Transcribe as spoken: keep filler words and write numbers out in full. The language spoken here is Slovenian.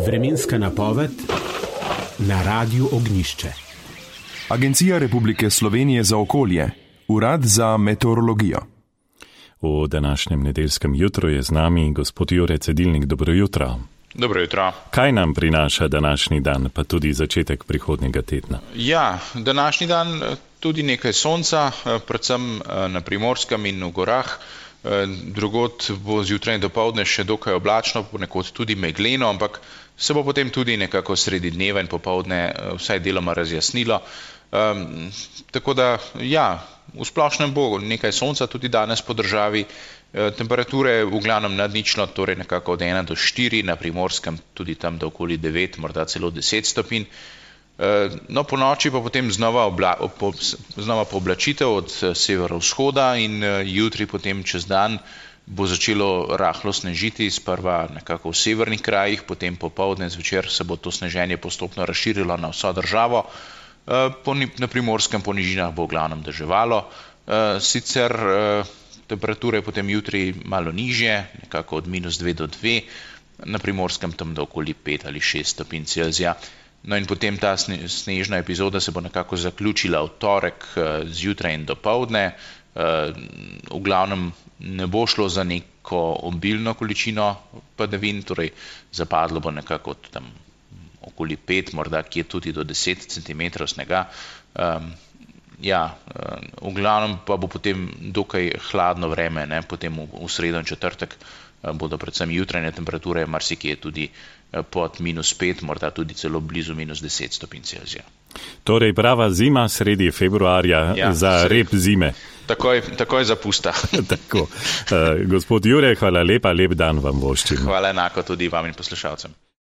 Vremenska napoved na Radiu Ognjišče. Agencija Republike Slovenije za okolje, Urad za meteorologijo. V današnjem nedeljskem jutru je z nami gospod Jure Cedilnik. Dobro jutro. Dobro jutro. Kaj nam prinaša današnji dan, pa tudi začetek prihodnjega tedna? Ja, današnji dan tudi nekaj sonca, predvsem na Primorskem in v gorah. Drugod bo zjutraj in dopoldne še dokaj oblačno, ponekod tudi megleno, ampak se bo potem tudi nekako sredi dneva in popoldne vsaj deloma razjasnilo. Um, tako da, ja, v splošnem bo nekaj sonca tudi danes po državi, e, temperature v glavnem nadnično, torej nekako od ena do štiri, na Primorskem tudi tam do okoli devet, morda celo deset stopinj. E, no, po noči pa potem znova, obla, po, znova pooblačitev od severovzhoda in e, jutri potem čez dan bo začelo rahlo snežiti, sprva nekako v severnih krajih, potem popoldne zvečer se bo to sneženje postopno razširilo na vso državo. Na Primorskem po nižinah bo v glavnem deževalo, sicer temperature potem jutri malo nižje, nekako od minus dve do dve, na Primorskem tam do okoli pet ali šest stopinj Celzija. No in potem ta snežna epizoda se bo nekako zaključila v torek zjutraj in dopoldne. V glavnem ne bo šlo za neko obilno količino padavin, torej zapadlo bo nekako tam okoli pet, morda kje tudi do deset centimetrov snega. Um, ja, v glavnem pa bo potem dokaj hladno vreme, ne? Potem v, v sredo in četrtek bodo predvsem jutranje temperature marsikje tudi pod minus pet, morda tudi celo blizu minus deset stopinj Celzija. Torej prava zima sredi februarja, ja, za sred... rep zime. Takoj, takoj zapusta. Tako. Uh, gospod Jure, hvala lepa, lep dan vam voščim. Hvala enako tudi vam in poslušalcem.